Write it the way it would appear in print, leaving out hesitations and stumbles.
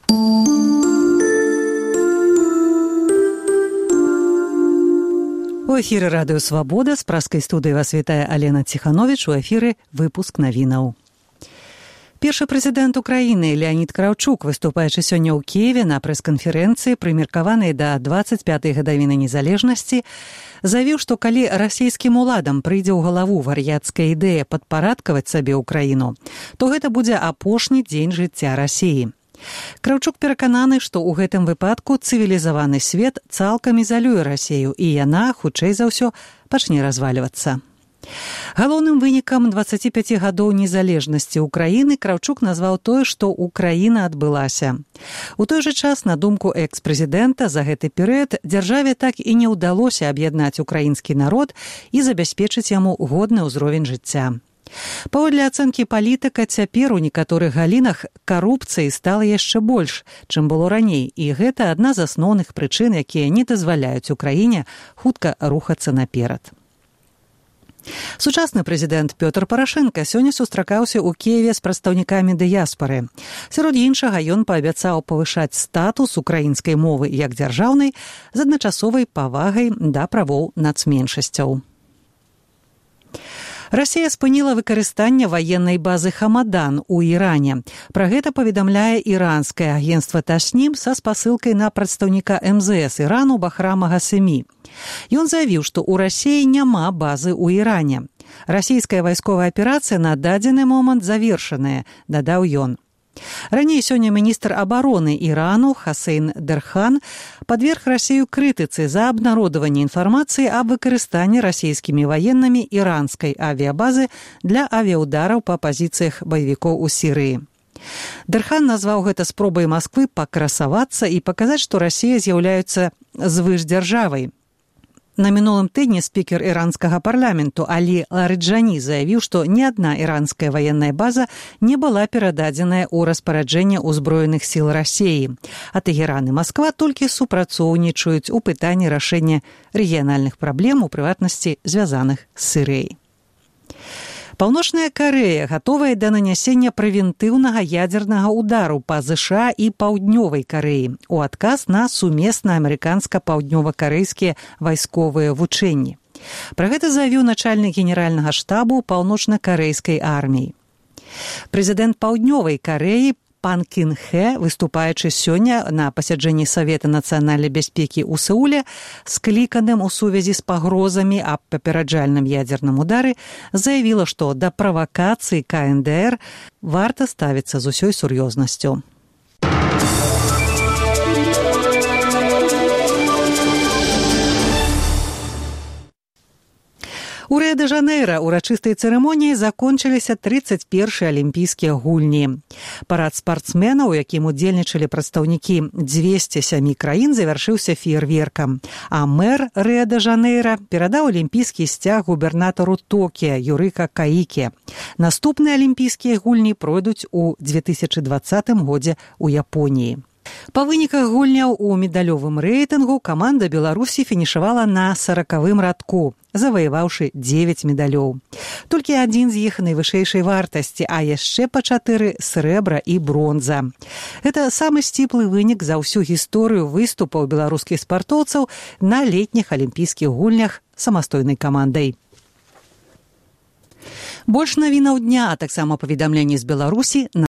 У эфіры радыё «Свабода», з праскай студыі вас вітае Алена Ціхановіч, у эфіры выпуск навінаў. Першы прэзідэнт Украіны Леонід Кравчук, выступаючы сёння ў Кіеве на прэс-канферэнцыі, прымеркаванай да 25-й гадавіны незалежнасці, заявіў, што калі расійскім уладам прыйдзе ў галаву вар'яцкая ідэя падпарадкаваць сабе ўкраіну, то гэта будзе апошні дзень жыцця Расіі. Кравчук перакананы, што ў гэтым выпадку цывілізаваны свет цалкам ізалюе Расію, і яна, хутчэй за ўсё, пачне развальвацца. Галоўным вынікам 25 гадоў незалежнасці Украіны Кравчук назваў тое, што Украіна адбылася. У той жа час, на думку экс-прэзідэнта, за гэты перыяд дзяржаве так і не ўдалося аб'яднаць украінскі народ і забяспечыць яму годны ўзровень жыцця. Паводле ацэнкі палітыка, цяпер у некаторых галінах карупцыі стала яшчэ больш, чым было раней, і гэта адна з асноўных прычын, якія не дазваляюць Украіне хутка рухацца наперад. Сучасны прэзідэнт Пётр Парашэнка сёння сустракаўся ў Кіеве з прадстаўнікамі дыяспары. Сярод іншага, ён паабяцаў павышаць статус украінскай мовы як дзяржаўнай з адначасовай павагай да правоў нацменшасцяў. Расія спыніла выкарыстанне ваеннай базы Хамадан у Іране. Пра гэта паведамляе іранскае агенцтва Таснім са спасылкай на прадстаўніка МЗС Ірану Бахрама Гасемі. Ён заявіў, што ў Расіі няма базы ў Іране. Расійская вайсковая аперацыя на дадзены момант завершаная, дадаў ён. Раней сёння міністр абароны Ірану Хасейн Дерхан падверг Расію крытыцы за абнародаванне інфармацыі аб выкарыстанні расійскімі ваеннымі іранскай авіябазы для авіяудараў па пазіцыях баевікоў у Сірыі. Дерхан назваў гэта спробай Масквы пакрасавацца і паказаць, што Расія з'яўляецца звышдзяржавай. На мінулым тыдні спікер іранскага парламенту Алі Ларыджані заявіў, што ні адна іранская ваенная база не была перададзеная ў распараджэнне ўзброеных сіл Расіі. А Тэгеран і Масква толькі супрацоўнічаюць у пытанні рашэння рэгіянальных праблем, у прыватнасці звязаных з Сірыяй. Паўночная Карэя гатовая да нанясення прэвентыўнага ядзернага ўдару па ЗША і Паўднёвай Карэі у адказ на сумесна амерыканска-паўднёва-карэйскія вайсковыя вучэнні. Пра гэта заявіў начальнік генеральнага штабу паўночна-карэйскай арміі. Прэзідэнт Паўднёвай Карэі Пан Кін Хэ, выступаючы сёння на пасяджэнні Савета нацыянальнай бяспекі ў Сеуле, скліканым у сувязі з пагрозамі аб папераджальным ядзерным удары, заявіла, што да правакацыі КНДР варта ставіцца з усёй сур'ёзнасцю. У Рыа-дэ-Жанэйра урачыстай цырымоніяй закончыліся 31-й алімпійскія гульні. Парад спартсменаў, у якім удзельнічалі прадстаўнікі 207 краін, завяршыўся феерверкам. А мэр Рыа-дэ-Жанэйра перадаў алімпійскі сцяг губернатару Токіа Юрыка Каіке. Наступныя алімпійскія гульні пройдуць у 2020 годзе ў Японіі. Па выніках гульняў у медалёвым рэйтынгу каманда Беларусі фінішавала на 40-м радку, заваяваўшы 9 медалёў. Толькі адзін з іх найвышэйшай вартасці, а яшчэ па 4 срэбра і бронза. Гэта самы сціплы вынік за ўсю гісторыю выступаў беларускіх спартоўцаў на летніх алімпійскіх гульнях самастойнай камандай. Больш навінаў дня, а таксама паведамленні з Беларусі